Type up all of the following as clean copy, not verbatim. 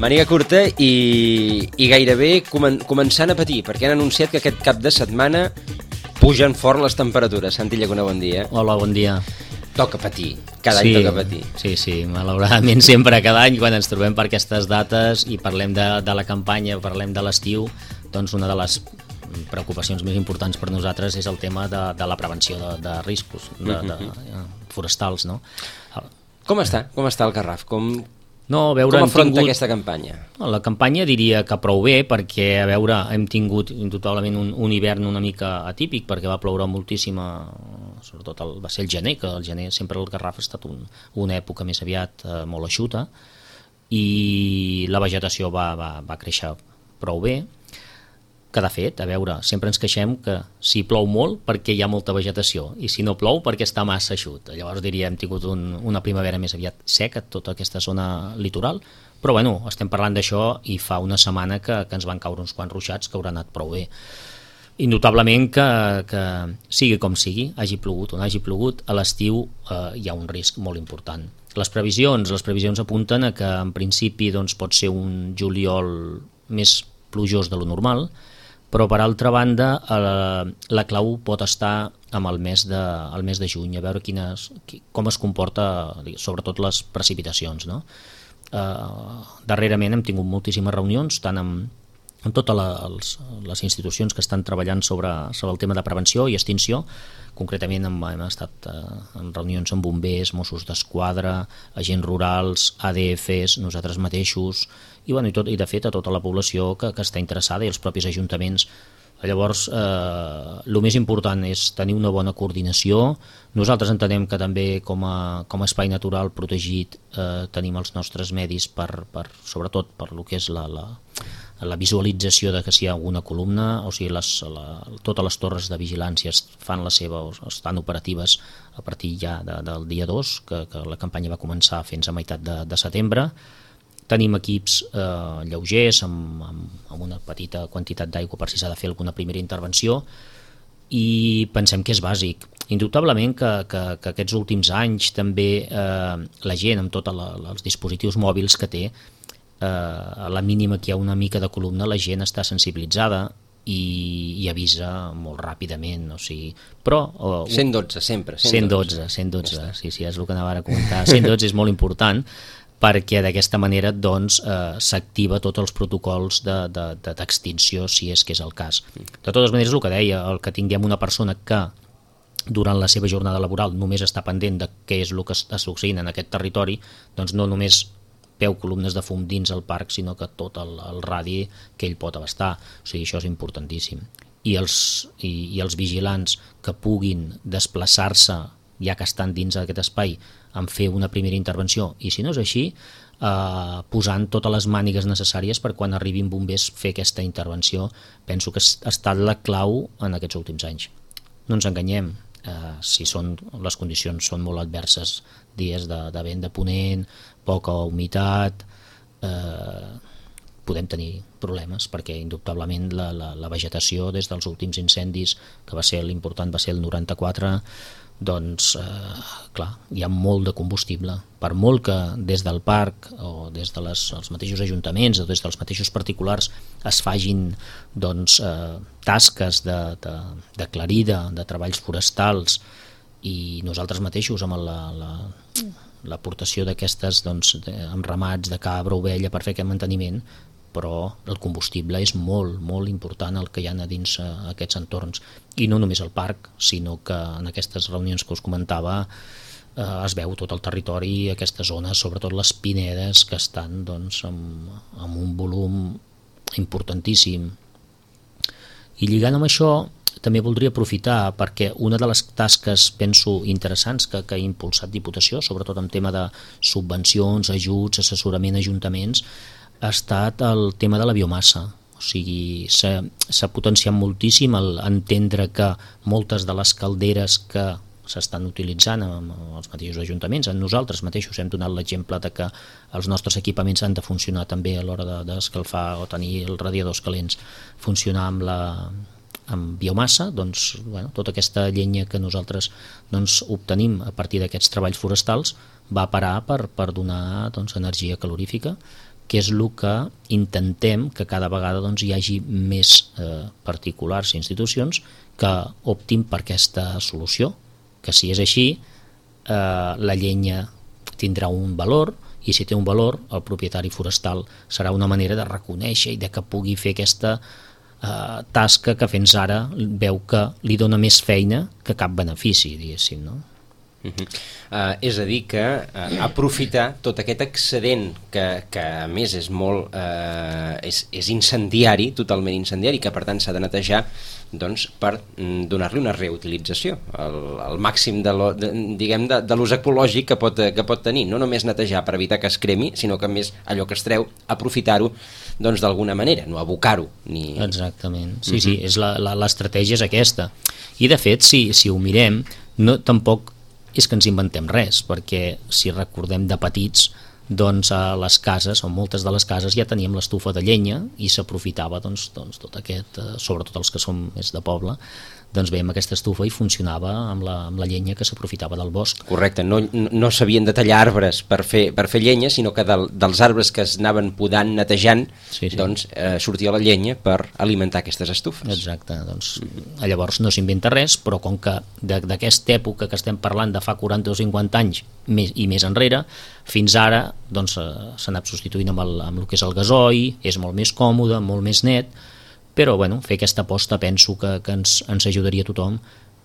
màniga curta i gairebé començant a patir, perquè han anunciat que aquest cap de setmana pugen fort les temperatures. Santi Llacuna, bon dia. Hola, bon dia. Toca patir, cada any toca patir. Sí, malauradament sempre cada any quan ens trobem per aquestes dates i parlem de la campanya, parlem de l'estiu, doncs una de les preocupacions més importants per nosaltres és el tema de la prevenció de riscos forestals, no? Com està el Garraf? Com afronta aquesta campanya? La campanya diria que prou bé, perquè hem tingut indubtablement un hivern una mica atípic, perquè va ploure moltíssim, sobretot va ser el gener, que el gener sempre el Garraf ha estat una època més aviat molt eixuta, i la vegetació va créixer prou bé, que de fet, sempre ens queixem que si plou molt perquè hi ha molta vegetació i si no plou perquè està massa eixut. Llavors hem tingut una primavera més aviat seca, tota aquesta zona litoral, però estem parlant d'això i fa una setmana que ens van caure uns quants ruixats que hauran anat prou bé. Indubtablement que sigui com sigui, hagi plogut o no hagi plogut, a l'estiu hi ha un risc molt important. Les previsions apunten a que en principi pot ser un juliol més plujós de lo normal, però per altra banda la clau pot estar amb el mes de juny, a veure com es comporta sobretot les precipitacions, no? Darrerament hem tingut moltíssimes reunions tant amb totes les institucions que estan treballant sobre el tema de prevenció i extinció. Concretament hem estat en reunions amb bombers, Mossos d'Esquadra, agents rurals, ADFs, nosaltres mateixos i de fet a tota la població que està interessada i els propis ajuntaments. Llavors, el més important és tenir una bona coordinació. Nosaltres entenem que també com a espai natural protegit tenim els nostres medis sobretot per lo que és la visualització de que si hi ha alguna columna, o sigui, totes les torres de vigilància fan la seva o estan operatives a partir ja del dia 2, que la campanya va començar fins a meitat de setembre. Tenim equips lleugers amb una petita quantitat d'aigua per si s'ha de fer alguna primera intervenció i pensem que és bàsic. Indubtablement que aquests últims anys també la gent amb tots els dispositius mòbils que té, a la mínima que hi ha una mica de columna la gent està sensibilitzada i avisa molt ràpidament, o sigui, però 112 sempre, 112, sí, és el que anava a comentar. 112 és molt important perquè d'aquesta manera s'activa tots els protocols d'extinció si és que és el cas. De totes maneres, el que deia, el que tinguem una persona que durant la seva jornada laboral només està pendent de què és el que està succeint en aquest territori, doncs no només veu columnes de fum dins el parc, sinó que tot el radi que ell pot abastar. O sigui, això és importantíssim. I els vigilants que puguin desplaçar-se, ja que estan dins d'aquest espai, en fer una primera intervenció, i si no és així, posant totes les mànigues necessàries per quan arribin bombers fer aquesta intervenció, penso que ha estat la clau en aquests últims anys. No ens enganyem, si les condicions són molt adverses, dies de vent de ponent, poca humitat, podem tenir problemes perquè indubtablement la vegetació des dels últims incendis, que va ser l'important, va ser el 94, doncs clar, hi ha molt de combustible. Per molt que des del parc o des dels mateixos ajuntaments o des dels mateixos particulars es fagin tasques de clarida, de treballs forestals, i nosaltres mateixos amb l'aportació d'aquestes amb ramats de cabra, ovella per fer aquest manteniment, però el combustible és molt, molt important el que hi ha a dins aquests entorns, i no només al parc, sinó que en aquestes reunions que us comentava es veu tot el territori, aquestes zones, sobretot les pinedes, que estan amb un volum importantíssim. I lligant amb això també voldria aprofitar perquè una de les tasques, penso, interessants que ha impulsat Diputació, sobretot en tema de subvencions, ajuts, assessorament a ajuntaments, ha estat el tema de la biomassa. O sigui, s'ha potenciat moltíssim entendre que moltes de les calderes que s'estan utilitzant amb els mateixos ajuntaments, nosaltres mateixos hem donat l'exemple de que els nostres equipaments han de funcionar també a l'hora d'escalfar o tenir els radiadors calents, funcionar amb biomassa, tota aquesta llenya que nosaltres obtenim a partir d'aquests treballs forestals va parar per donar energia calorífica que és el que intentem que cada vegada doncs, hi hagi més particulars i institucions que optin per aquesta solució, que si és així la llenya tindrà un valor, i si té un valor el propietari forestal serà una manera de reconèixer i de que pugui fer aquesta tasca que fins ara veu que li dona més feina que cap benefici, diguéssim, no? És a dir que aprofitar tot aquest excedent que a més és molt és incendiari, totalment incendiari, que per tant s'ha de netejar doncs, per donar-li una reutilització el màxim de l'ús ecològic que pot tenir, no només netejar per evitar que es cremi, sinó que a més allò que es treu, aprofitar-ho doncs d'alguna manera, no abocar-ho Exactament, sí, l'estratègia és aquesta, i de fet si ho mirem, tampoc és que ens inventem res, perquè si recordem de petits, doncs a les cases, o moltes de les cases ja teníem l'estufa de llenya i s'aprofitava doncs, tot aquest, sobretot els que som més de poble, doncs veiem aquesta estufa i funcionava amb la llenya que s'aprofitava del bosc. Correcte, no s'havien de tallar arbres per fer llenya, sinó que dels arbres que es anaven podant, netejant, doncs sortia la llenya per alimentar aquestes estufes. Exacte, doncs llavors no s'inventa res, però com que d'aquesta època que estem parlant de fa 40 o 50 anys i més enrere, fins ara doncs s'ha anat substituint amb el que és el gasoil, és molt més còmode, molt més net, però bueno, fer aquesta aposta penso que ens ajudaria a tothom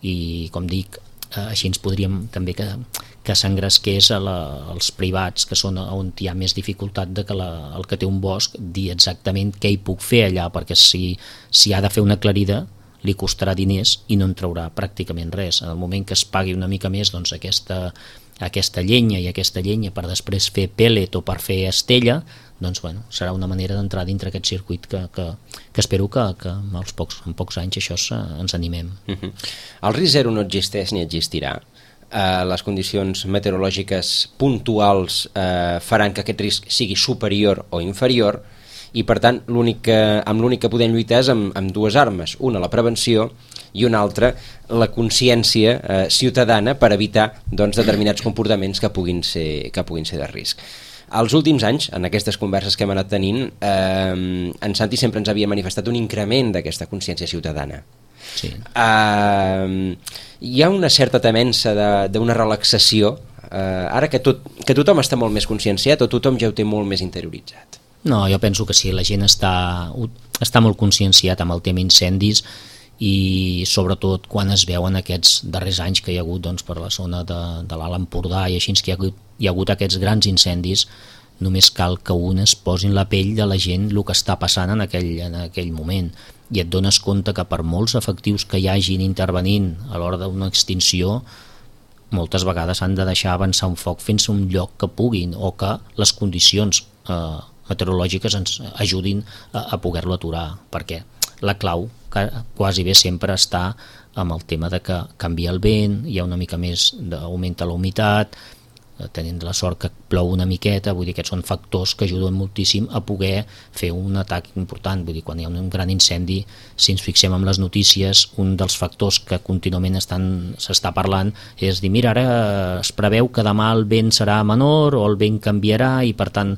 i com dic, així ens podríem també que s'engresqués als privats que són on hi ha més dificultat de que el que té un bosc dir exactament què hi puc fer allà, perquè si ha de fer una aclarida li costarà diners i no en traurà pràcticament res. En el moment que es pagui una mica més doncs aquesta llenya i aquesta llenya per després fer pèl·let o per fer estella, doncs bueno, serà una manera d'entrar dintre aquest circuit que espero que en pocs anys això ens animem. El risc zero no existeix ni existirà. Les condicions meteorològiques puntuals faran que aquest risc sigui superior o inferior i per tant amb l'únic que podem lluitar és amb dues armes, una la prevenció i una altra la consciència ciutadana per evitar doncs, determinats comportaments que puguin ser de risc. Els últims anys, en aquestes converses que hem anat tenint, en Santi sempre ens havia manifestat un increment d'aquesta consciència ciutadana. Sí. Hi ha una certa temença d'una relaxació, ara que tothom està molt més conscienciat o tothom ja ho té molt més interioritzat? No, jo penso que sí, la gent està molt conscienciat amb el tema incendis i sobretot quan es veuen aquests darrers anys que hi ha hagut doncs, per la zona de l'Alt Empordà i així que hi ha hagut aquests grans incendis, només cal que un es posi en la pell de la gent el que està passant en aquell moment i et dones compte que per molts efectius que hi hagin intervenint a l'hora d'una extinció moltes vegades han de deixar avançar un foc fins a un lloc que puguin o que les condicions meteorològiques ens ajudin a poder-lo aturar, perquè la clau quasi bé sempre està amb el tema de que canvia el vent, hi ha una mica més d'augmenta la humitat, tenint la sort que plou una miqueta, vull dir que són factors que ajuden moltíssim a poder fer un atac important, vull dir, quan hi ha un gran incendi, si ens fixem en les notícies, un dels factors que contínuament s'està parlant és dir, mira, ara es preveu que demà el vent serà menor o el vent canviarà i per tant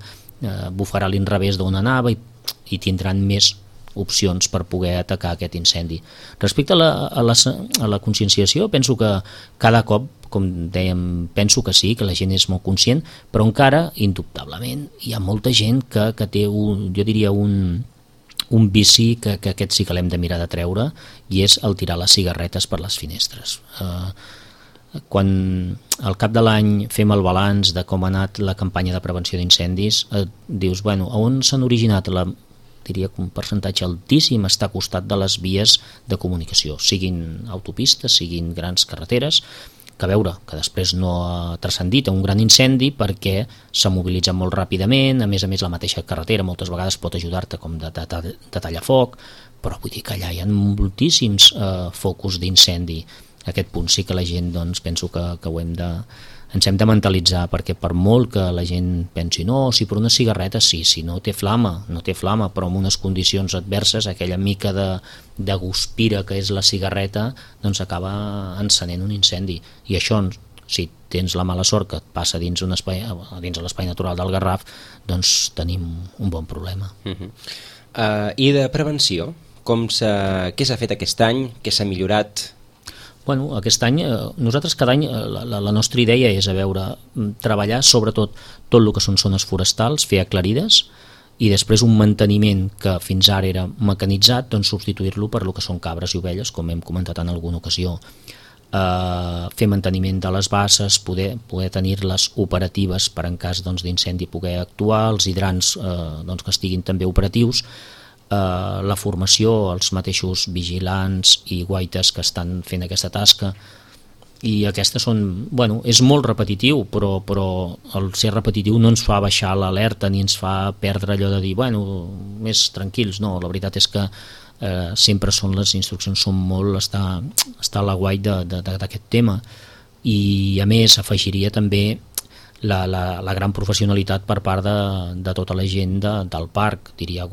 bufarà a l'inrevés d'on anava i tindran més opcions per poder atacar aquest incendi. Respecte a la conscienciació, penso que cada cop, com dèiem, penso que sí, que la gent és molt conscient, però encara, indubtablement, hi ha molta gent que té, jo diria, un vici que aquest sí que l'hem de mirar de treure, i és el tirar les cigarretes per les finestres. Quan al cap de l'any fem el balanç de com ha anat la campanya de prevenció d'incendis, dius, bueno, on s'han originat diria que un percentatge altíssim està a costat de les vies de comunicació, siguin autopistes, siguin grans carreteres, que a veure, que després no ha transcendit a un gran incendi perquè s'ha mobilitzat molt ràpidament, a més la mateixa carretera moltes vegades pot ajudar-te com de tallar foc, però vull dir que allà hi ha moltíssims focus d'incendi. A aquest punt sí que la gent, doncs, penso que ens hem de mentalitzar, perquè per molt que la gent pensi no, si per una cigarreta sí, si no té flama, però en unes condicions adverses, aquella mica de guspira que és la cigarreta, doncs acaba encenent un incendi. I això, Si tens la mala sort que et passa dins de l'espai natural del Garraf, doncs tenim un bon problema. I de prevenció? Què s'ha fet aquest any? Què s'ha millorat? Bueno, aquest any, nosaltres cada any la nostra idea és treballar sobretot tot el que són zones forestals, fer aclarides, i després un manteniment que fins ara era mecanitzat, doncs substituir-lo per el que són cabres i ovelles, com hem comentat en alguna ocasió. Fer manteniment de les basses, poder tenir-les operatives per en cas d'incendi poder actuar, els hidrants que estiguin també operatius, la formació, els mateixos vigilants i guaites que estan fent aquesta tasca, i aquestes són, és molt repetitiu, però el ser repetitiu no ens fa baixar l'alerta ni ens fa perdre allò de dir, més tranquils. No, la veritat és que sempre les instruccions són molt estar a l'aguait d'aquest tema, i a més afegiria també la gran professionalitat per part de tota la gent del parc, diria,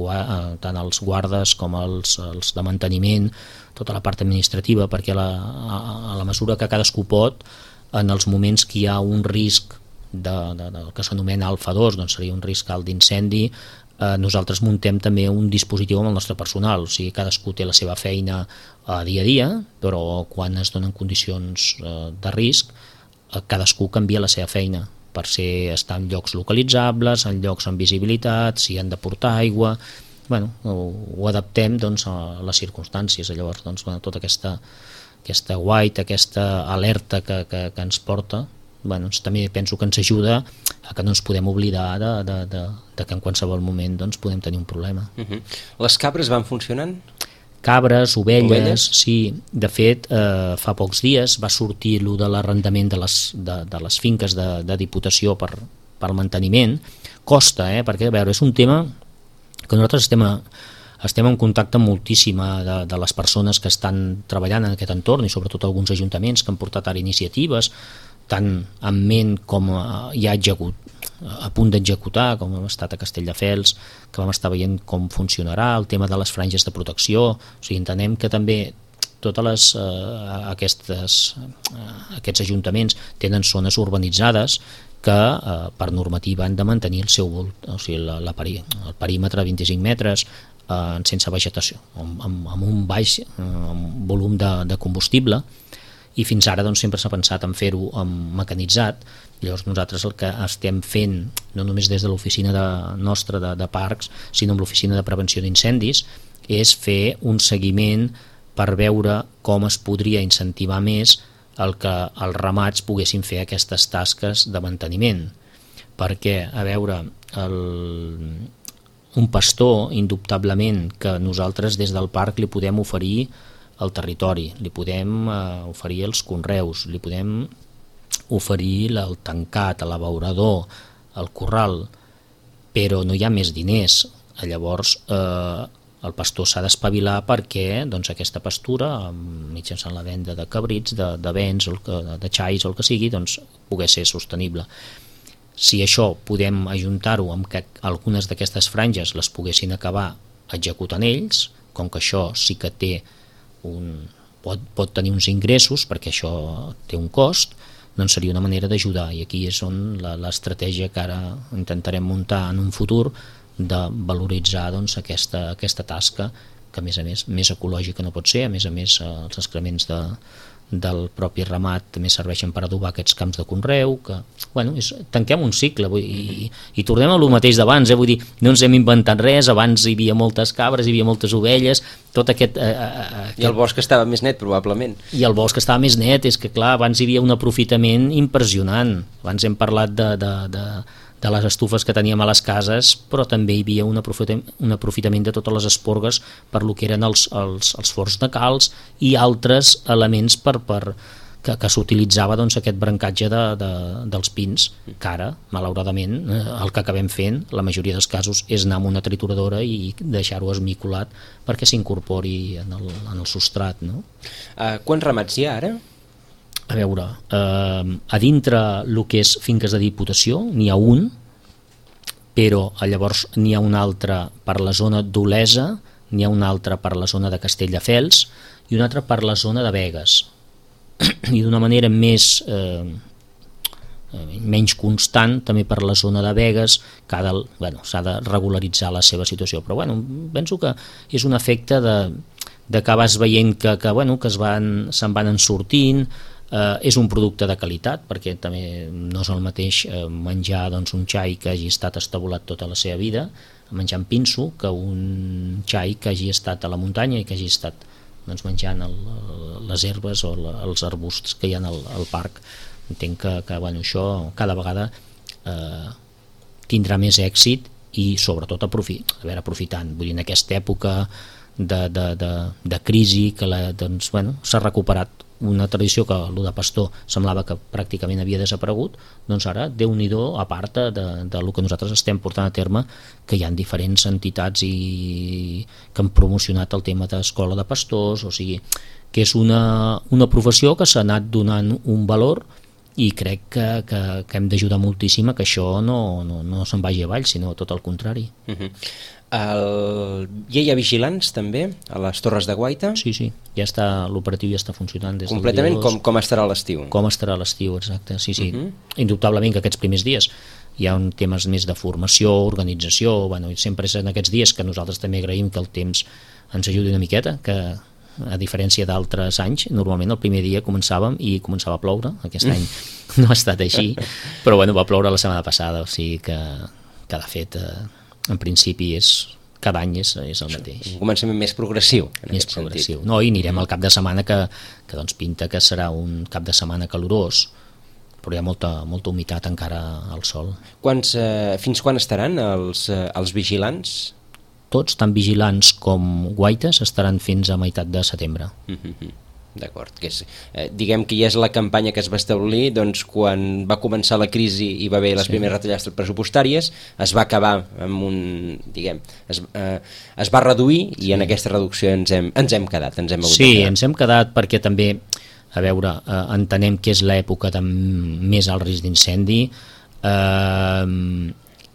tant els guardes com els de manteniment, tota la part administrativa, perquè a la mesura que cadascú pot, en els moments que hi ha un risc del que s'anomena alfa 2, doncs seria un risc alt d'incendi, nosaltres muntem també un dispositiu amb el nostre personal, o sigui, cadascú té la seva feina dia a dia, però quan es donen condicions de risc, cadascú canvia la seva feina per estar en llocs localitzables, en llocs amb visibilitat, si han de portar aigua, ho adaptem a les circumstàncies. Llavors, tota aquesta guait, aquesta alerta que ens porta, també penso que ens ajuda a que no ens podem oblidar de que en qualsevol moment podem tenir un problema. Les cabres van funcionant? Cabres, ovelles, sí. De fet, fa pocs dies va sortir allò de l'arrendament de les finques de Diputació per manteniment. Costa, perquè és un tema que nosaltres estem en contacte moltíssim de les persones que estan treballant en aquest entorn, i sobretot alguns ajuntaments que han portat ara iniciatives, tant en ment com ja a punt d'executar, com hem estat a Castelldefels, que vam estar veient com funcionarà el tema de les franges de protecció. O sigui, entenem que també totes aquests ajuntaments tenen zones urbanitzades que per normativa han de mantenir el perímetre de 25 metres sense vegetació, amb un baix volum de combustible, i fins ara sempre s'ha pensat en fer-ho mecanitzat. Llavors nosaltres el que estem fent, no només des de l'oficina nostra de parcs, sinó amb l'oficina de prevenció d'incendis, és fer un seguiment per veure com es podria incentivar més el que els ramats poguessin fer aquestes tasques de manteniment. Perquè, un pastor, indubtablement, que nosaltres des del parc li podem oferir al territori, li podem oferir els conreus, li podem oferir el tancat, l'abeurador, el corral, però no hi ha més diners. Llavors el pastor s'ha d'espavilar perquè aquesta pastura, mitjançant la venda de cabrits, de bens, de xais o el que sigui, pogués ser sostenible. Si això podem ajuntar-ho amb que algunes d'aquestes franges les poguessin acabar executant ells, com que això sí que pot tenir uns ingressos, perquè això té un cost, doncs seria una manera d'ajudar, i aquí és on l'estratègia que ara intentarem muntar en un futur, de valoritzar aquesta tasca, que a més ecològica no pot ser. A més els excrements del propi ramat també serveixen per adobar aquests camps de conreu, que tanquem un cicle i tornem a lo mateix d'abans, vull dir, no ens hem inventat res. Abans hi havia moltes cabres, hi havia moltes ovelles, tot aquest... I el bosc estava més net, probablement. I el bosc estava més net, és que clar, abans hi havia un aprofitament impressionant. Abans hem parlat de les estufes que teníem a les cases, però també hi havia un aprofitament de totes les esporgues per lo que eren els forns de calç i altres elements que s'utilitzava aquest brancatge dels pins, que ara, malauradament, el que acabem fent, la majoria dels casos, és anar amb una trituradora i deixar-ho esmicolat perquè s'incorpori en el substrat. No? Quants ramats hi ha ara? A dintre el que és finques de Diputació n'hi ha un, però llavors n'hi ha un altre per la zona d'Olesa, n'hi ha un altre per la zona de Castelldefels i un altre per la zona de Begues. I d'una manera més menys constant també per la zona de Begues, que s'ha de regularitzar la seva situació, però penso que és un efecte de que vas veient que se'n van ensortint. És un producte de qualitat, perquè també no és el mateix menjar un xai que hagi estat estabulat tota la seva vida, menjant pinso, que un xai que hagi estat a la muntanya i que hagi estat menjant les herbes o els arbusts que hi ha al parc. Entenc que això cada vegada tindrà més èxit i sobretot aprofitant, vull dir, en aquesta època de crisi que s'ha recuperat una tradició que el de pastor semblava que pràcticament havia desaparegut, doncs ara, Déu-n'hi-do, a part del que nosaltres estem portant a terme, que hi ha diferents entitats que han promocionat el tema d'escola de pastors, o sigui, que és una professió que s'ha anat donant un valor i crec que hem d'ajudar moltíssim a que això no se'n vagi avall, sinó tot el contrari. Ja hi ha vigilants també a les Torres de Guaita? Sí, l'operatiu ja està funcionant des completament del 2. Com estarà l'estiu? Com estarà l'estiu, exacte, sí. Indubtablement que aquests primers dies hi ha temes més de formació, organització, i sempre és en aquests dies que nosaltres també agraïm que el temps ens ajudi una miqueta, que a diferència d'altres anys, normalment el primer dia començava a ploure, aquest any no ha estat així, però va ploure la setmana passada, o sigui que de fet en principi cada any és el mateix. Un començament més progressiu. Més progressiu. No, i anirem al cap de setmana que pinta que serà un cap de setmana calorós, però hi ha molta humitat encara al sol. Fins quan estaran els vigilants? Tots, tant vigilants com guaites, estaran fins a meitat de setembre. D'acord, diguem que ja és la campanya que es va establir quan va començar la crisi i va haver les primeres retallades pressupostàries, es va acabar amb es va reduir i en aquesta reducció ens hem quedat. Ens hem quedat perquè també, entenem que és l'època de més alt risc d'incendi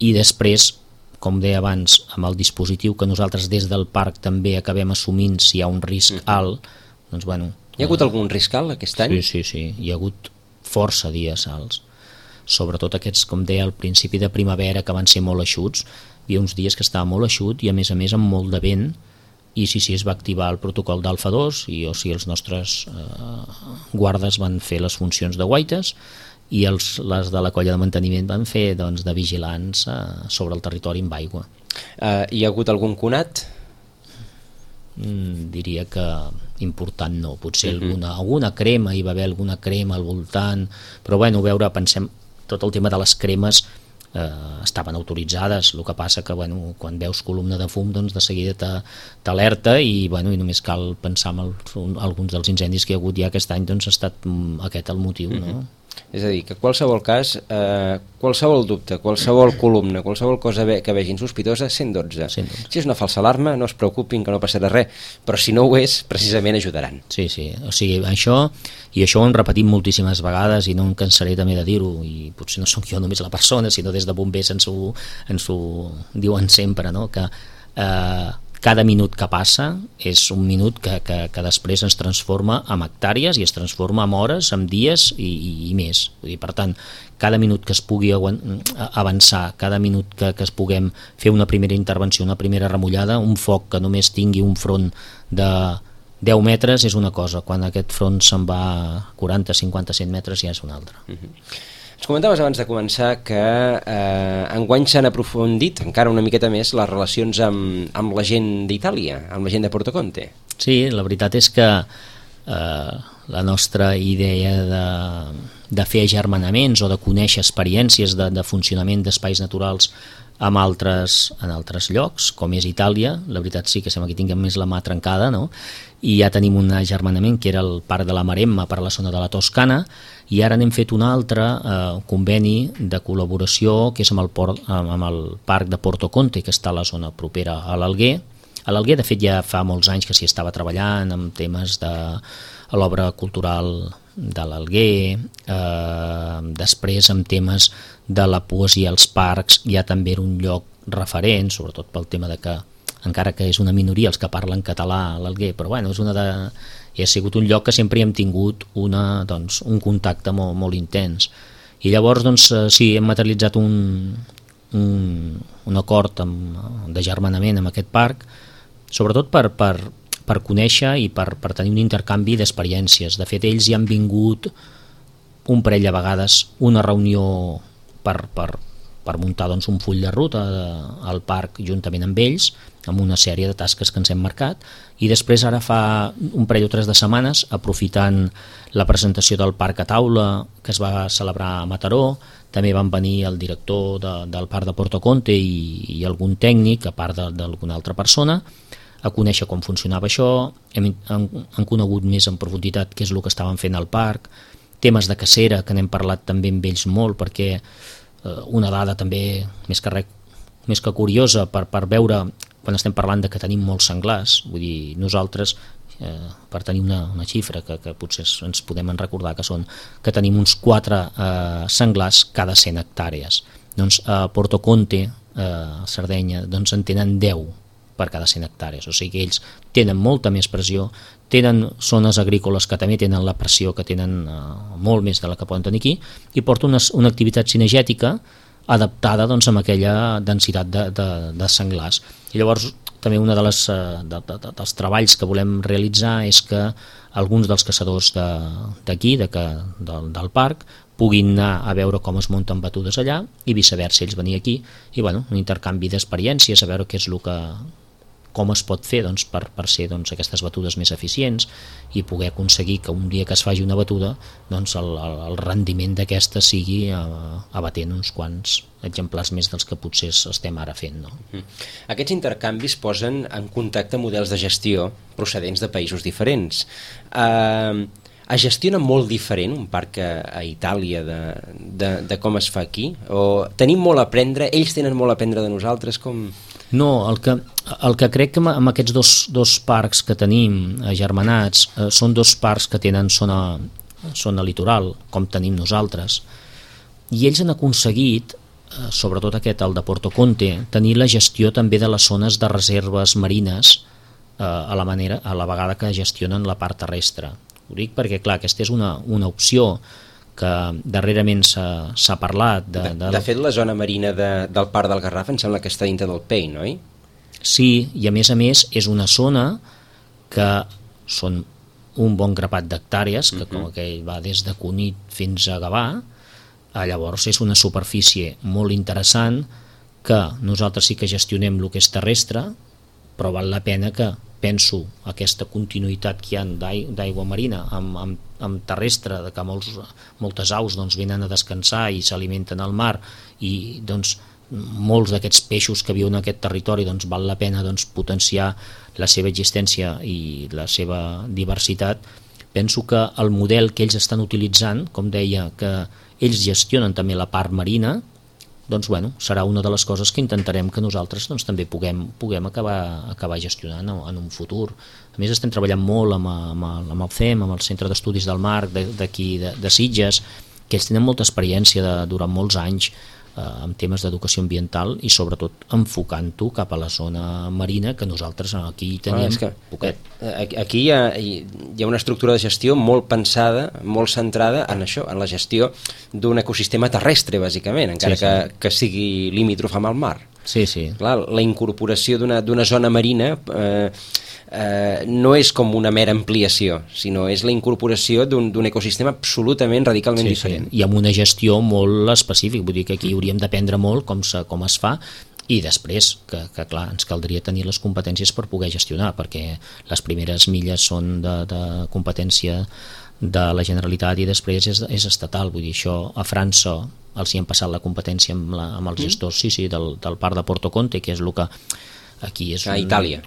i després, com deia abans, amb el dispositiu que nosaltres des del parc també acabem assumint si hi ha un risc alt, doncs hi ha hagut algun risc alt aquest any? Sí, hi ha hagut força dies alts, sobretot aquests, com deia al principi de primavera, que van ser molt eixuts. Hi havia uns dies que estava molt eixut i a més amb molt de vent, i es va activar el protocol d'Alfa 2 i els nostres guardes van fer les funcions de guaites i les de la colla de manteniment van fer de vigilants sobre el territori amb aigua. Hi ha hagut algun conat? Diria que important no, potser alguna crema, hi va haver alguna crema al voltant, però pensem, tot el tema de les cremes estaven autoritzades, el que passa que quan veus columna de fum de seguida t'alerta i només cal pensar en alguns dels incendis que hi ha hagut ja aquest any, ha estat aquest el motiu, no? És a dir, que qualsevol cas, qualsevol dubte, qualsevol columna, qualsevol cosa que vegin sospitosa, 112. Si és una falsa alarma, no es preocupin, que no passarà res, però si no ho és, precisament ajudaran. Sí, o sigui, això ho hem repetit moltíssimes vegades i no em cansaré també de dir-ho, i potser no sóc jo només la persona, sinó des de bombers ens ho diuen sempre, no? Que cada minut que passa és un minut que després ens transforma en hectàrees i es transforma en hores, en dies i més. Vull dir, per tant, cada minut que es pugui avançar, cada minut que es puguem fer una primera intervenció, una primera remullada, un foc que només tingui un front de 10 metres és una cosa, quan aquest front se'n va a 40, 50, 100 metres ja és una altra. Ens comentaves abans de començar que enguany s'han aprofundit encara una miqueta més les relacions amb la gent d'Itàlia, amb la gent de Porto Conte. Sí, la veritat és que la nostra idea de fer agermanaments o de conèixer experiències de funcionament d'espais naturals en altres llocs, com és Itàlia, la veritat sí que sembla que tinguem més la mà trencada, no? I ja tenim un agermanament que era el Parc de la Maremma per a la zona de la Toscana, i ara n'hem fet un altre conveni de col·laboració que és amb el Parc de Porto Conte, que està a la zona propera a l'Alguer. A l'Alguer, de fet, ja fa molts anys que s'hi estava treballant amb temes de l'obra cultural de l'Alguer, després amb temes de la poesia als parcs, ja també era un lloc referent, sobretot pel tema de que, encara que és una minoria els que parlen català a l'Alguer, però ha sigut un lloc que sempre hem tingut un contacte molt intens. I llavors, doncs, sí, hem materialitzat un acord de germanament amb aquest parc, sobretot per conèixer i per tenir un intercanvi d'experiències. De fet, ells hi han vingut un parell de vegades, una reunió per muntar doncs, un full de ruta al parc juntament amb ells, amb una sèrie de tasques que ens hem marcat, i després ara fa un parell o 3 de setmanes, aprofitant la presentació del parc a taula que es va celebrar a Mataró, també van venir el director del parc de Porto Conte i algun tècnic, a part d'alguna altra persona, a conèixer com funcionava això. Han conegut més en profunditat què és el que estaven fent al parc, temes de cacera que n'hem parlat també amb ells molt, perquè una dada també més que curiosa per veure quan estem parlant de que tenim molts senglars, vull dir, nosaltres per tenir una xifra que potser ens podem recordar que tenim uns 4 senglars cada 100 hectàrees. Doncs a Porto Conte, a Sardenya, doncs en tenen 10 per cada 100 hectàrees, o sigui que ells tenen molta més pressió, tenen zones agrícoles que també tenen la pressió que tenen molt més de la que poden tenir aquí, i porta una activitat cinegètica adaptada doncs, amb aquella densitat de senglars. I llavors també un dels treballs que volem realitzar és que alguns dels caçadors d'aquí, del parc, puguin anar a veure com es munten batudes allà i viceversa, ells venir aquí i un intercanvi d'experiències, a veure què és com es pot fer doncs, per ser doncs, aquestes batudes més eficients i poder aconseguir que un dia que es faci una batuda doncs, el rendiment d'aquesta sigui abatent uns quants exemplars més dels que potser estem ara fent. No? Aquests intercanvis posen en contacte models de gestió procedents de països diferents. Es gestiona molt diferent un parc a Itàlia de com es fa aquí? O tenim molt a aprendre, ells tenen molt a aprendre de nosaltres? Com... No, el que crec que amb aquests dos parcs que tenim agermanats són 2 parcs que tenen zona litoral, com tenim nosaltres, i ells han aconseguit, sobretot aquest, el de Porto Conte, tenir la gestió també de les zones de reserves marines a la vegada que gestionen la part terrestre. Ho dic perquè, clar, aquesta és una opció que darrerament s'ha parlat. De fet, la zona marina del Parc del Garraf em sembla que està dintre del PEI, no? Sí, i a més és una zona que són un bon grapat d'hectàrees, que com aquell va des de Cunit fins a Gavà, llavors és una superfície molt interessant que nosaltres sí que gestionem el que és terrestre, però val la pena que penso aquesta continuïtat que hi ha d'aigua marina amb terrestre, que moltes aus doncs, venen a descansar i s'alimenten al mar i doncs, molts d'aquests peixos que viuen en aquest territori doncs, val la pena doncs, potenciar la seva existència i la seva diversitat. Penso que el model que ells estan utilitzant, com deia, que ells gestionen també la part marina, doncs serà una de les coses que intentarem que nosaltres doncs, també puguem acabar gestionant en un futur. A més estem treballant molt amb el CEM, amb el Centre d'Estudis del Mar d'aquí de Sitges, que ells tenen molta experiència durant molts anys en temes d'educació ambiental i sobretot enfocant-ho cap a la zona marina, que nosaltres aquí teníem poquet. Aquí hi ha una estructura de gestió molt pensada, molt centrada en això, en la gestió d'un ecosistema terrestre, bàsicament, encara que sigui limítrof amb el mar. Sí, sí. Clar, la incorporació d'una zona marina no és com una mera ampliació, sinó és la incorporació d'un ecosistema absolutament radicalment diferent. I amb una gestió molt específica, vull dir que aquí hauríem d'aprendre molt com es fa, i després que clar, ens caldria tenir les competències per poder gestionar, perquè les primeres milles són de competència de la Generalitat i després és estatal. Vull dir, això a França els hi han passat la competència amb els gestors del parc de Porto Conte, que és el que aquí és... A Itàlia.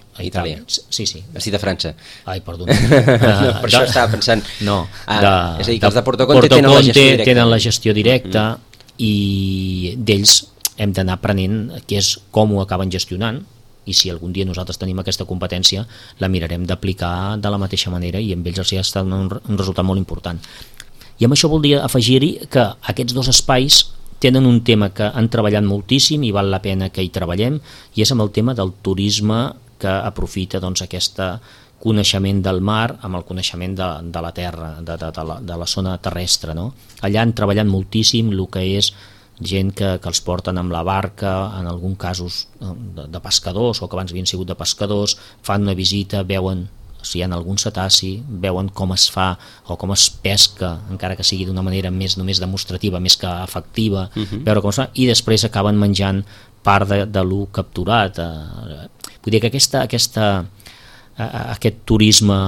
Sí. Estic de França. Ai, perdona. Per això estava pensant... No, és a dir, que els de Porto Conte tenen la gestió directa. I d'ells hem d'anar aprenent què és com ho acaben gestionant, i si algun dia nosaltres tenim aquesta competència la mirarem d'aplicar de la mateixa manera i amb ells els ha estat un resultat molt important. I amb això voldria afegir-hi que aquests 2 espais tenen un tema que han treballat moltíssim i val la pena que hi treballem, i és amb el tema del turisme que aprofita doncs, aquesta coneixement del mar amb el coneixement de la terra, de la zona terrestre, no? Allà han treballat moltíssim el que és gent que els porten amb la barca, en alguns casos de pescadors o que abans havien sigut de pescadors, fan una visita, veuen si hi ha algun cetaci, veuen com es fa o com es pesca, encara que sigui d'una manera més només demostrativa, més que efectiva, veure com es fa, i després acaben menjant part de lo capturat. Vull dir que aquest turisme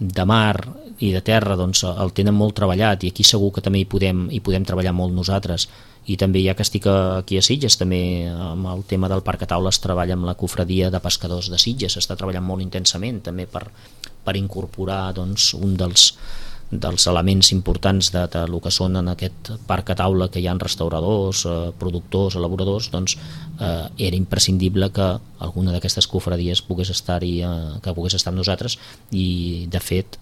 de mar i de terra doncs, el tenen molt treballat, i aquí segur que també hi podem treballar molt nosaltres. I també, ja que estic aquí a Sitges, també amb el tema del Parc a Taula es treballa amb la cofradia de pescadors de Sitges, s'està treballant molt intensament també per incorporar doncs, un dels elements importants de lo que són en aquest Parc a Taula, que hi ha restauradors, productors, elaboradors, doncs era imprescindible que alguna d'aquestes cofradies pogués estar amb nosaltres, i de fet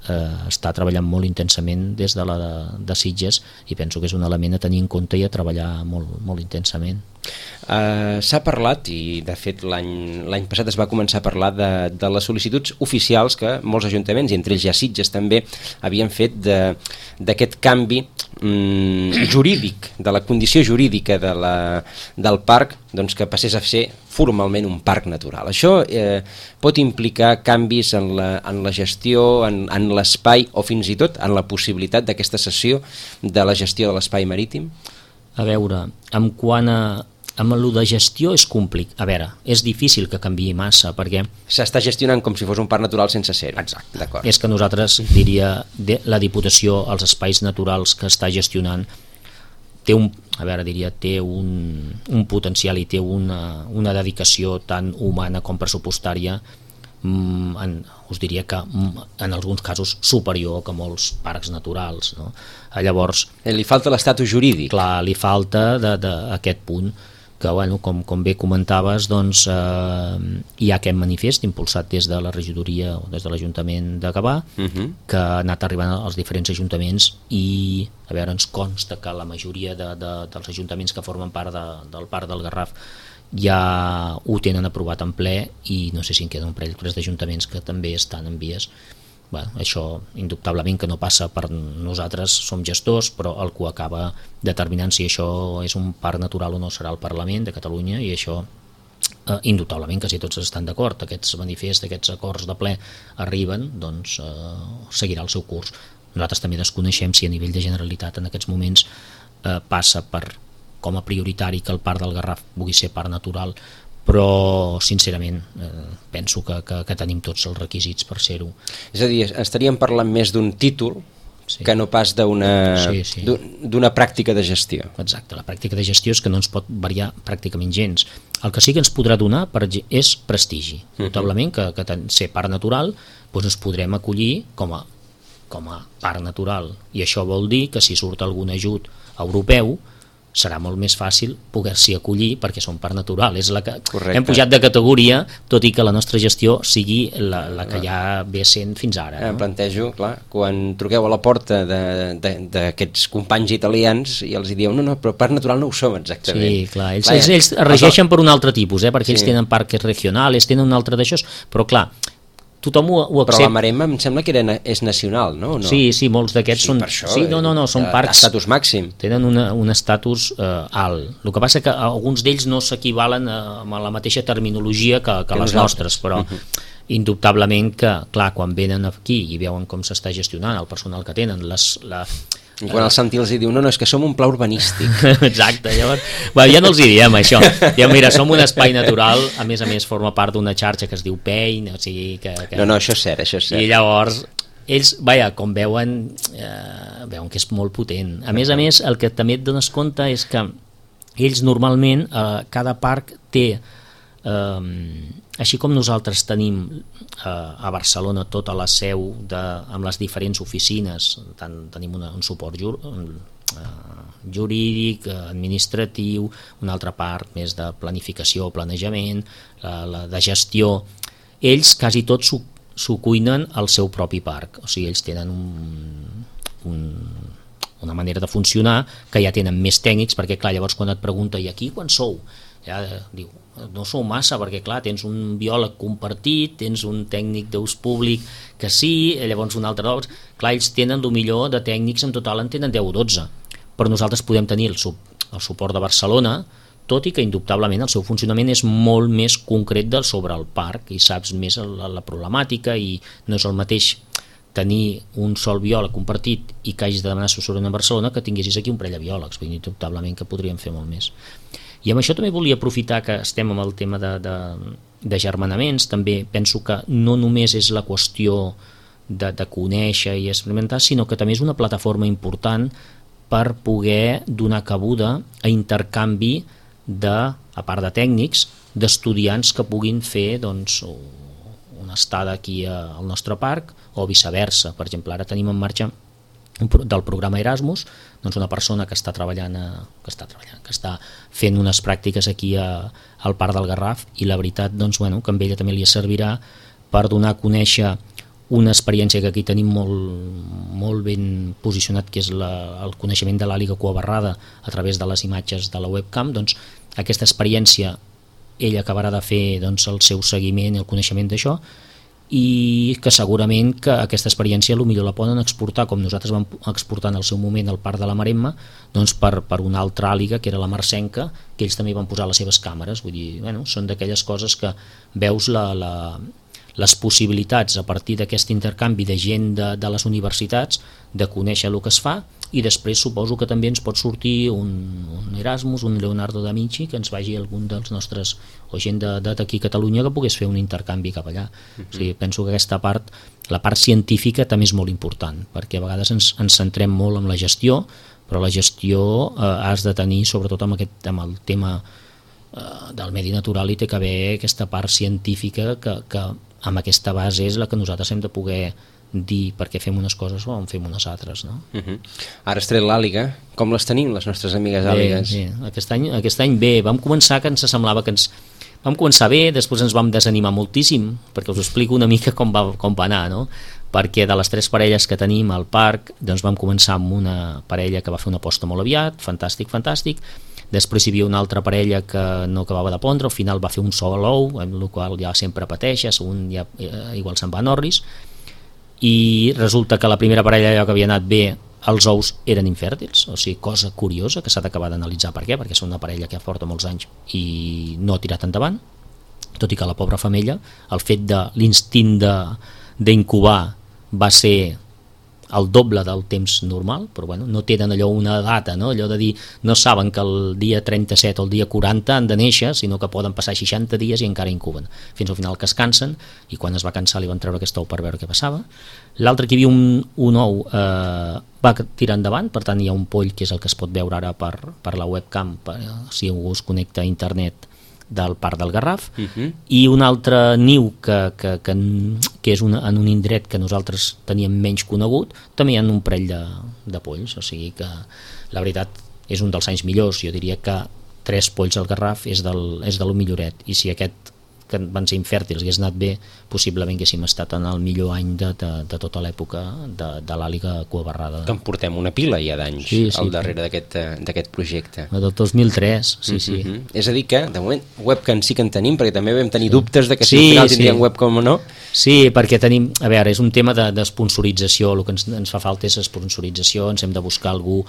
està treballant molt intensament des de Sitges, i penso que és un element a tenir en compte i a treballar molt, molt intensament. S'ha parlat, i de fet l'any passat es va començar a parlar de les sol·licituds oficials que molts ajuntaments, i entre ells ja Sitges també, havien fet d'aquest canvi jurídic, de la condició jurídica del parc, doncs que passés a ser formalment un parc natural. Això pot implicar canvis en la gestió, en l'espai, o fins i tot en la possibilitat d'aquesta cessió de la gestió de l'espai marítim? A veure, amb el de gestió és complicat. A veure, és difícil que canviï massa, perquè s'està gestionant com si fos un parc natural sense ser-ho. Exacte. D'acord. És que nosaltres, diria, la Diputació, els espais naturals que està gestionant, té un potencial i té una dedicació tant humana com pressupostària, us diria que en alguns casos superior que molts parcs naturals, no? Llavors, li falta l'estatus jurídic. Clar, li falta d'aquest punt, que bueno, com bé comentaves, doncs, hi ha aquest manifest impulsat des de la regidoria o des de l'Ajuntament de Gavà, que ha anat arribant als diferents ajuntaments, i a veure, ens consta que la majoria dels ajuntaments que formen part del Parc del Garraf ja ho tenen aprovat en ple, i no sé si en queda un parell d'ajuntaments que també estan en vies. Bueno, això indubtablement que no passa per nosaltres, som gestors, però el que acaba determinant si això és un parc natural o no serà el Parlament de Catalunya, i això indubtablement que si tots estan d'acord, aquests manifests, aquests acords de ple arriben, doncs seguirà el seu curs. Nosaltres també desconeixem si a nivell de Generalitat en aquests moments passa per com a prioritari que el Parc del Garraf pugui ser parc natural, però sincerament penso que tenim tots els requisits per ser-ho. És a dir, estaríem parlant més d'un títol que no pas d'una pràctica de gestió. Exacte, la pràctica de gestió és que no ens pot variar pràcticament gens. El que sí que ens podrà donar és prestigi. Notablement que ser parc natural doncs ens podrem acollir com a parc natural, i això vol dir que si surt algun ajut europeu serà molt més fàcil poder-s'hi acollir perquè són parc natural. És la que hem pujat de categoria, tot i que la nostra gestió sigui la que ja ve sent fins ara. Em plantejo, clar, quan truqueu a la porta d'aquests companys italians i els dieu, no, però parc natural no ho som exactament. Sí, clar, ells es regeixen per un altre tipus, perquè ells tenen parques regionals, tenen un altre d'això, però clar, tothom ho accepta. Però la Marema em sembla que és nacional, no? Sí, molts d'aquests són... Sí, són parcs... Estatus màxim. Tenen un estatus alt. El que passa que alguns d'ells no s'equivalen amb la mateixa terminologia que les nostres, però indubtablement que, clar, quan venen aquí i veuen com s'està gestionant el personal que tenen, i quan el Santi els diu, no, és que som un pla urbanístic. Exacte, llavors ja no els hi diem això, ja mira, som un espai natural, a més forma part d'una xarxa que es diu PEIN, o sigui que... No, això és cert. I llavors ells, com veuen que és molt potent. A més, el que també et dones compte és que ells normalment, cada parc té, així com nosaltres tenim a Barcelona tota la seu amb les diferents oficines, tenim un suport jurídic, administratiu, una altra part més de planificació, planejament, de gestió. Ells quasi tots s'ho cuinen al seu propi parc, o sigui, ells tenen una manera de funcionar que ja tenen més tècnics, perquè clar, llavors quan et pregunta i aquí quan sou? Ja diu, no sou massa, perquè clar, tens un biòleg compartit, tens un tècnic d'ús públic que sí, llavors un altre doncs, clar, ells tenen el millor de tècnics, en total en tenen 10 o 12, però nosaltres podem tenir el suport de Barcelona, tot i que indubtablement el seu funcionament és molt més concret sobre el parc i saps més la problemàtica, i no és el mateix tenir un sol biòleg compartit i que hagis de demanar assessorament a Barcelona que tinguessis aquí un parell de biòlegs, vull dir, indubtablement que podríem fer molt més. I amb això també volia aprofitar que estem amb el tema de germanaments, també penso que no només és la qüestió de conèixer i experimentar, sinó que també és una plataforma important per poder donar cabuda a intercanvi a part de tècnics, d'estudiants que puguin fer doncs, una estada aquí al nostre parc o viceversa. Per exemple, ara tenim en marxa del programa Erasmus, doncs una persona que està fent unes pràctiques aquí al Parc del Garraf, i la veritat doncs, que a ella també li servirà per donar a conèixer una experiència que aquí tenim molt ben posicionat, que és el coneixement de l'àliga cuabarrada a través de les imatges de la webcam. Doncs aquesta experiència ella acabarà de fer doncs, el seu seguiment i el coneixement d'això, i que segurament que aquesta experiència potser la poden exportar, com nosaltres vam exportar en el seu moment al Parc de la Maremma, doncs per una altra àliga que era la marcenca, que ells també van posar les seves càmeres. Vull dir, són d'aquelles coses que veus les possibilitats a partir d'aquest intercanvi de gent de les universitats de conèixer el que es fa, i després suposo que també ens pot sortir un Erasmus, un Leonardo da Vinci, que ens vagi algun dels nostres, o gent d'aquí a Catalunya, que pogués fer un intercanvi cap allà. O sigui, penso que aquesta part, la part científica, també és molt important, perquè a vegades ens centrem molt en la gestió, però la gestió has de tenir, sobretot amb el tema del medi natural, i té que haver aquesta part científica que amb aquesta base és la que nosaltres hem de poder dir per què fem unes coses o en fem unes altres, no? Ara has tret l'àliga. Com les tenim, les nostres amigues àligues? Bé, aquest any bé. Vam començar que ens semblava que vam començar bé, després ens vam desanimar moltíssim, perquè us explico una mica com va anar, no? Perquè de les 3 parelles que tenim al parc, doncs vam començar amb una parella que va fer una posta molt aviat, fantàstic. Després hi havia una altra parella que no acabava de pondre, al final va fer un sol ou, amb el qual ja sempre pateixes, un ja igual se'n va a Norris, i resulta que la primera parella, allò que havia anat bé, els ous eren infèrtils, o sigui, cosa curiosa que s'ha d'acabar d'analitzar per què, perquè és una parella que porta molts anys i no ha tirat endavant, tot i que la pobra femella, el fet de l'instint d'incubar va ser el doble del temps normal, però no tenen allò una data, no? Allò de dir, no saben que el dia 37 o el dia 40 han de néixer, sinó que poden passar 60 dies i encara incuben, fins al final que es cansen, i quan es va cansar li van treure aquest ou per veure què passava. L'altre, que hi havia un ou, va tirar endavant, per tant hi ha un poll que és el que es pot veure ara per la webcam, si algú es connecta a internet, del Parc del Garraf, i un altre niu que és en un indret que nosaltres teníem menys conegut, també hi ha un parell de polls, o sigui que la veritat és un dels anys millors. Jo diria que 3 polls al Garraf és del milloret, i si aquest que van ser infèrtils hagués anat bé, possiblement haguéssim estat en el millor any de tota l'època de l'àliga cuabarrada. Que en portem una pila ja d'anys al darrere d'aquest projecte. Del 2003, sí. És a dir que, de moment, webcam sí que en tenim, perquè també vam tenir dubtes de que si al final tindríem webcam o no. Sí, perquè tenim, a veure, és un tema d'esponsorització, el que ens fa falta és esponsorització, ens hem de buscar algú,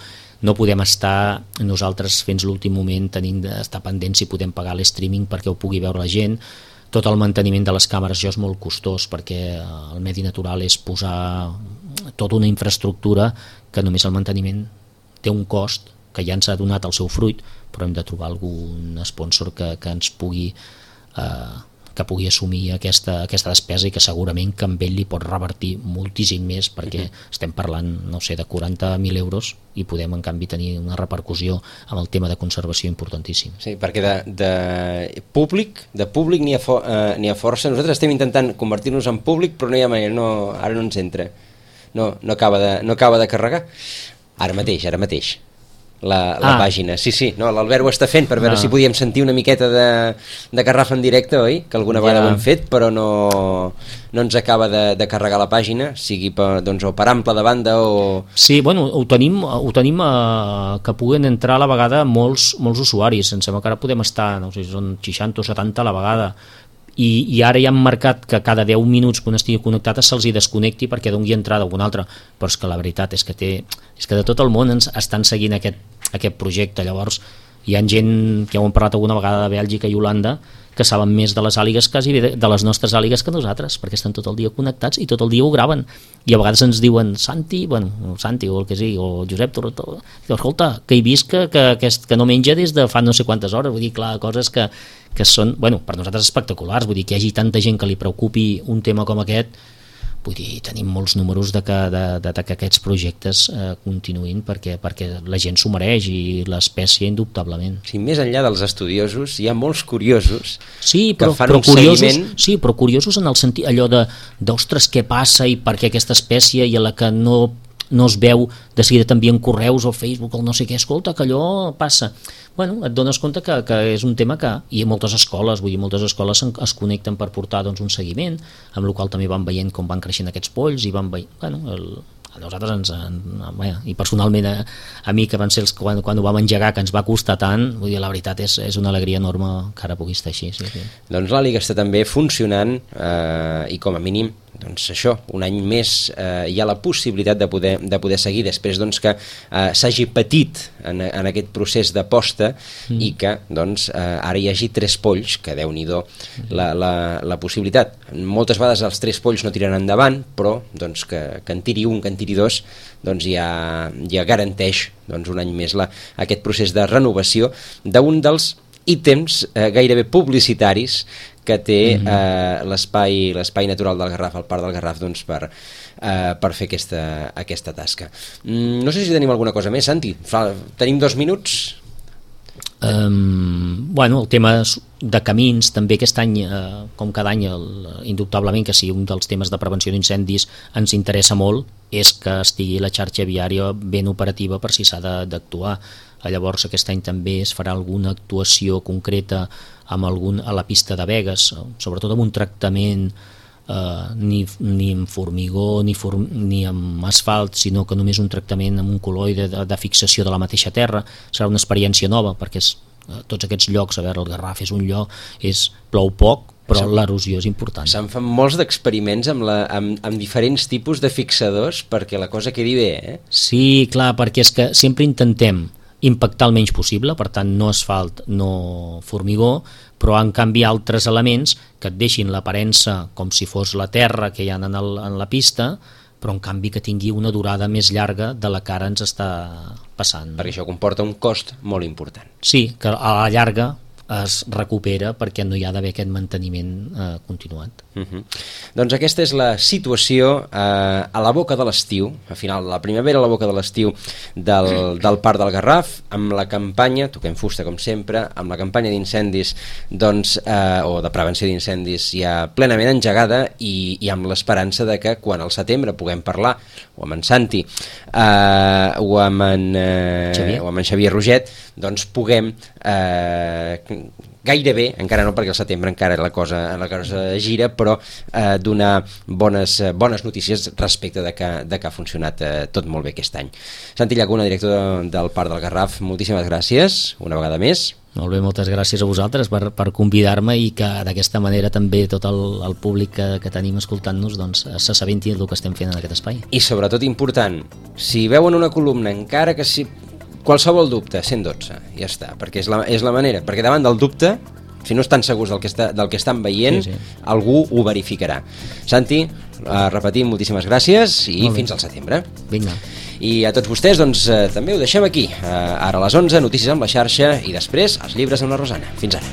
no podem estar nosaltres fins l'últim moment d'estar pendents si podem pagar l'streaming perquè ho pugui veure la gent. Tot el manteniment de les càmeres és molt costós, perquè el medi natural és posar tota una infraestructura que només el manteniment té un cost que ja ens ha donat el seu fruit, però hem de trobar algun sponsor que ens pugui assumir aquesta despesa, i que segurament que amb ell li pot revertir moltíssim més, perquè estem parlant, no sé, de 40.000 euros, i podem en canvi tenir una repercussió amb el tema de conservació importantíssim. Sí, perquè de públic n'hi ha força. Nosaltres estem intentant convertir-nos en públic, però no hi ha manera, ara no ens entra, no acaba de carregar ara mateix. la pàgina. Sí, no, l'Albert ho està fent per veure si podíem sentir una miqueta de Garraf en directe, oi? Que alguna vegada ho hem fet, però no ens acaba de carregar la pàgina, sigui o per ample de banda o... Sí, bueno, ho tenim que puguen entrar a la vegada molts usuaris. Em sembla que ara podem estar, no sé si són 60 o 70 a la vegada, i ara ja han marcat que cada 10 minuts que un estigui connectat se'ls hi desconnecti perquè doni entrada a algun altre, però és que la veritat és que de tot el món ens estan seguint aquest projecte. Llavors hi ha gent que ho hem parlat alguna vegada de Bèlgica i Holanda que saben més de les àligues, quasi de les nostres àligues, que nosaltres, perquè estan tot el dia connectats i tot el dia ho graven, i a vegades ens diuen Santi o el que sigui, o Josep Torretó, escolta, que he vist que no menja des de fa no sé quantes hores. Vull dir, clar, coses que són, per nosaltres espectaculars. Vull dir, que hi hagi tanta gent que li preocupi un tema com aquest. Vull dir, tenim molts números de que aquests projectes continuïn perquè la gent s'ho mereix, i l'espècie indubtablement. Sí, més enllà dels estudiosos hi ha molts curiosos que fan un seguiment. Sí, però curiosos en el sentit allò d'ostres, què passa i per què aquesta espècie, i a la que no es veu, de seguida t'envien correus al Facebook o no sé què, escolta, que allò passa. Et dones compte que és un tema que hi ha moltes escoles, es connecten per portar un seguiment, amb el qual també van veient com van creixent aquests polls, i van veient, a nosaltres i personalment a mi, que van ser quan ho vam engegar, que ens va costar tant, vull dir, la veritat és una alegria enorme que ara pugui estar així. Sí. Doncs l'Àliga està també funcionant, i com a mínim això, un any més hi ha la possibilitat de poder seguir després que s'hagi patit en aquest procés d'aposta, i que ara hi hagi 3 polls, que Déu-n'hi-do la possibilitat. Moltes vegades els 3 polls no tiren endavant, però que en tiri un, que en tiri 2, ja garanteix un any més aquest procés de renovació d'un dels ítems gairebé publicitaris que té l'espai natural del Garraf, el Parc del Garraf, per fer aquesta tasca. No sé si tenim alguna cosa més, Santi. Tenim 2 minuts? El tema de camins també aquest any, com cada any, indubtablement que sí, un dels temes de prevenció d'incendis ens interessa molt, és que estigui la xarxa viària ben operativa per si s'ha d'actuar. Llavors aquest any també es farà alguna actuació concreta a la pista de Begues, sobretot amb un tractament ni amb formigó ni amb asfalt, sinó que només un tractament amb un col·loide de fixació de la mateixa terra. Serà una experiència nova, perquè tots aquests llocs, a veure, el Garraf és un lloc, plou poc, però l'erosió és important. Se'n fan molts d'experiments amb diferents tipus de fixadors perquè la cosa quedi bé, eh? Sí, clar, perquè és que sempre intentem impactar el menys possible, per tant no asfalt, no formigó, però en canvi altres elements que et deixin l'aparença com si fos la terra que hi ha en la pista, però en canvi que tingui una durada més llarga de la que ara ens està passant. Perquè això comporta un cost molt important. Sí, que a la llarga es recupera perquè no hi ha d'haver aquest manteniment continuat. Doncs aquesta és la situació a la boca de l'estiu, a final de la primavera, a la boca de l'estiu del Parc del Garraf, amb la campanya, toquem fusta com sempre, amb la campanya d'incendis o de prevenció d'incendis ja plenament engegada, i amb l'esperança de que quan al setembre puguem parlar o amb en Santi o amb en Xavier Roget, doncs puguem gairebé, encara no perquè al setembre encara la cosa gira, però donar bones notícies respecte de que ha funcionat tot molt bé aquest any. Santi Llacuna, director del Parc del Garraf, moltíssimes gràcies una vegada més. Molt bé, moltes gràcies a vosaltres per convidar-me, i que d'aquesta manera també tot el públic que tenim escoltant-nos s'assabenti del que estem fent en aquest espai. I sobretot important, si veuen una columna, encara que si qualsevol dubte, 112, ja està, perquè és la manera, perquè davant del dubte, si no estan segurs del que estan veient, sí. Algú ho verificarà. Santi, repetim, moltíssimes gràcies i fins al setembre. Vinga. I a tots vostès, doncs, també ho deixem aquí. Ara a les 11, notícies amb la xarxa, i després els llibres amb la Rosana. Fins ara.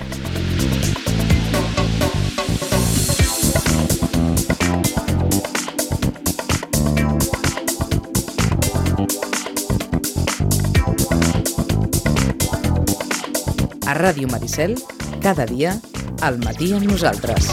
A Ràdio Maricel, cada dia, al matí amb nosaltres.